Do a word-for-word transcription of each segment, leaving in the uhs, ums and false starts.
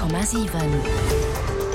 Komma siwen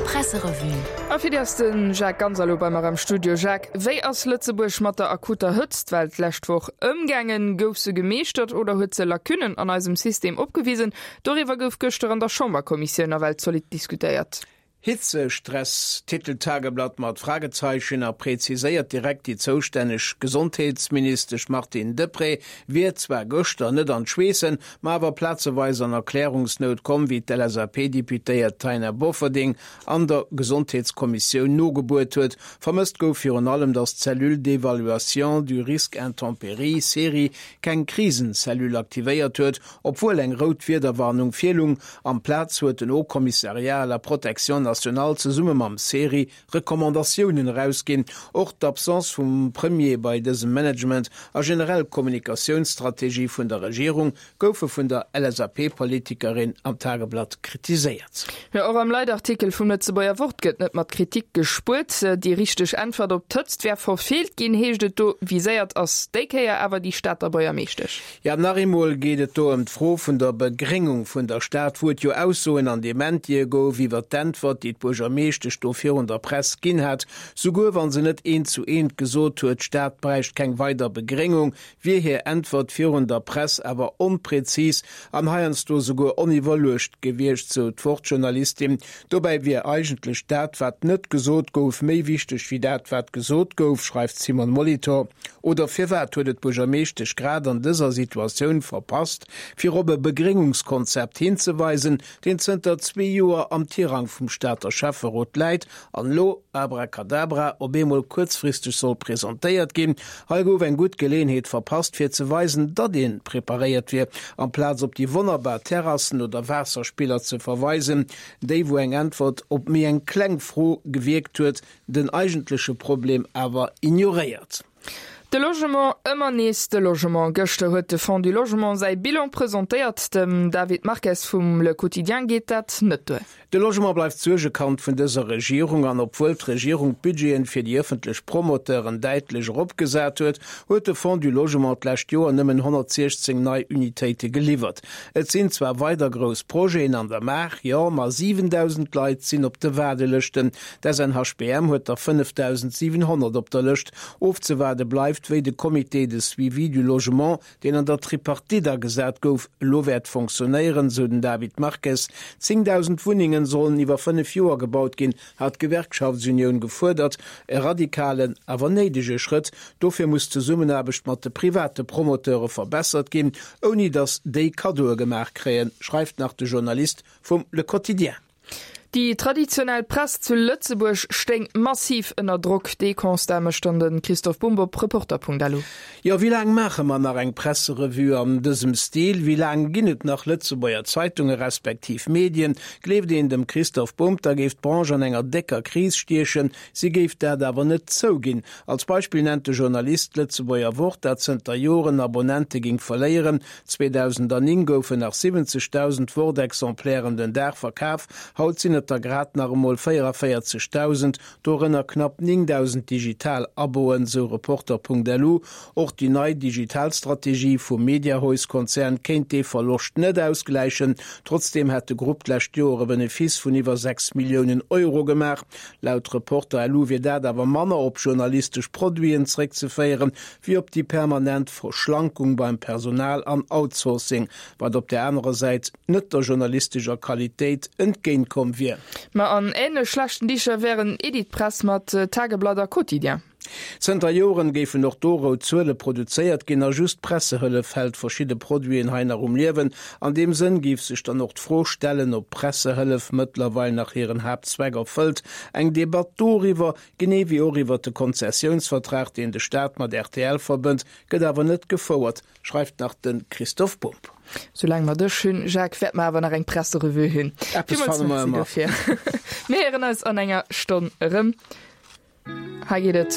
Presserevue. A fir déi ass de Jacques Ganser elo bei mer am Studio. Jacques, wéi ass Lëtzebuerg mat der akuter Hëtztwell d'lescht Woch ëmgaangen? Gouf se gemeeschtert oder huet se Lacunnen an eisem System opgewisen? Doriwwer gouf gëschter an der Chamberkommissioun nawell zolidd diskutéiert. Hitzestress, titelt d'Tageblatt mat Fragezeichen a präziséiert direkt, déi zoustänneg Gesondheetsministesch Martine Deprez wier zwar gëschter net an d'Schweessen, ma awer plazeweis an Erklärungsnout komm, wéi d'LSAP-Deputéiert Taina Bofferding an der Gesondheetskommissioun nogebuert huet. Vermësst gouf virun allem, datt d'Cellule d'évaluation du risque intempéries, CERI, keng Krisencellule aktivéiert huet, obwuel eng rout Wiederwarnung virlung. Amplaz huet den Haut Commissariat à la protection nationale zesumme mam CERI Recommandatiounen erausginn. Och d'Absence vum Premier bei dësem Management a generell d'Kommunikatiounsstrategie vun der Regierung goufe vun der LSAP-Politikerin am Tageblatt kritiséiert. Jo, och am Leitartikel vum Lëtzebuerger Wort gëtt net mat Kritik gespuert. Déi richteg Äntwert op d'Hëtzt wär verfeelt ginn, heescht et do. Viséiert ass déi Kéier awer déi Stater Buergermeeschtesch. Jo, nach eemol geet et do ëm d'Fro vun der Begréngung vun der Stad, wou et jo Aussoen an Dementie gouf iwwer d'Äntwert, déi d'Buergermeeschtesch do virun der Press ginn hat. Souguer wa se net eent zu eent gesot huet, d'Stad bräicht keng weider Begréngung, wier hir Äntwert virun der Press awer onprezis an heiansdo souguer oniwwerluecht gewiescht, sou d'Wort-Journalistin. Dobäi wier eigentlech dat, wat net gesot gouf, méi wichteg wéi dat, wat gesot gouf, schreift d'Simone Molitor. Oder firwat huet et d'Buergermeeschtesch grad an dëser Situatioun verpasst, fir op e Begréngungskonzept hinzeweisen, deen zënter zwee Joer am Tirang vum Stater Schäfferot läit an elo, abracadabra, op eemol kuerzfristeg soll presentéiert ginn? Hei gouf eng gutt Geleeënheet verpasst, fir ze weisen, datt ee preparéiert wier, amplaz op déi wonnerbar Terrassen oder Waasserspiller ze verweisen, déi wou eng Äntwert op méi eng kleng Fro gewierkt huet, den eigentleche Problem awer ignoréiert. De Logement, ëmmer nees de Logement. Gëschter huet de Fonds du Logement säi Bilan presentéiert. Dem David Marques vum Le Quotidien geet dat net duer. De Logement bleift d'Suergekand vun dëser Regierung an obwuel d'Regierung d'Budgeten fir déi ëffentlech Promoteuren däitlech eropgesat huet, huet de Fonds du Logement d'lescht Joer nëmmen honnertsiechzéng nei Unitéite geliwwert. Et sinn zwar weider grouss Projeten an der Maach, jo, ma siwendausend Leit sinn op de Waardelëschten. D'SNHBM huet der fënnefdausendsiwenhonnert op der Lëscht. Ofzewaarde bleift, wéi de Comité de suivi du logement, deen an der Tripartite agesat gouf, elo wäert fonctionnéieren, sou den David Marques. Zéngdausend Wunnengen sollen iwwer fënnef Joer gebaut ginn, hat d'Gewerkschaftsunioun gefuerdert. E radikalen, awer néidege Schrëtt. Dofir muss d'Zesummenaarbecht mat de private Promoteure verbessert ginn, ouni datt déi Kaddoe gemaach kréien, schreift nach de Journalist vum Le Quotidien. Déi traditionell Press zu Lëtzebuerg stéing massiv ënner Drock. Dee Constat mécht dann de Christoph Bumb op Reporter.lu. Jo, wéi laang maache mer nach eng Presserevue an dësem Stil? Wéi laang ginn et nach Lëtzebuerger Zeitunge respektiv Medien? Gleeft een dem Christoph Bumb, da géif d'Branche an enger décker Kris stiechen. Si géif dat awer net zouginn. Als Beispill nennt de Journalist d'Lëtzebuerger Wort, dat zënter Joren Abonnente géing verléieren. zweedausendnéng goufen nach siwwenzegdausend Wort-Exemplairen den Dag verkaf, haut sinn et der grad nach emol véieranvéierzegdausend, dorënner knapp néngdausend digital Aboen, sou Reporter.lu. Och déi nei digital Strategie vum Mediahuis-Konzern kéint dee Verloscht net ausgläichen. Trotzdeem hätt de Grupp d'lescht Joer e Benefice vun iwwer sechs Milliounen Euro gemaach. Laut Reporter.lu wier dat awer manner op journalistesch Produiten zeréckzeféieren, wéi op déi permanent Verschlankung beim Personal an Outsourcing, wat op där anerer Säit net der journalistescher Qualitéit entgéint komm wier. Ma an änlech schlechten Dicher wären Editpress mat Tageblatt a Quotidien. Zënter Joren géifen och do rout Zuele produzéiert ginn a just d'Pressehëllef hält verschidde Produiten hei nach um Liewen. An deem Sënn géif sech dann och d'Fro stellen, ob d'Pressehëllef mëttlerweil nach hiren Haaptzweck erfëllt. Eng Debatt doriwwer, genee wéi och iwwer de Konzessiounsvertrag, deen de Staat mat rtl verbënnt, gëtt awer net gefouert, schreift nach de Christoph Bumb. Soulaang mer dech hunn, Jacques, wäerte mer awer nach eng Presserevue hunn. Eppes Villmools fanne mer Merci ëmmer. dofir. Mir héieren eis an enger Stonn erëm. Hei geet et.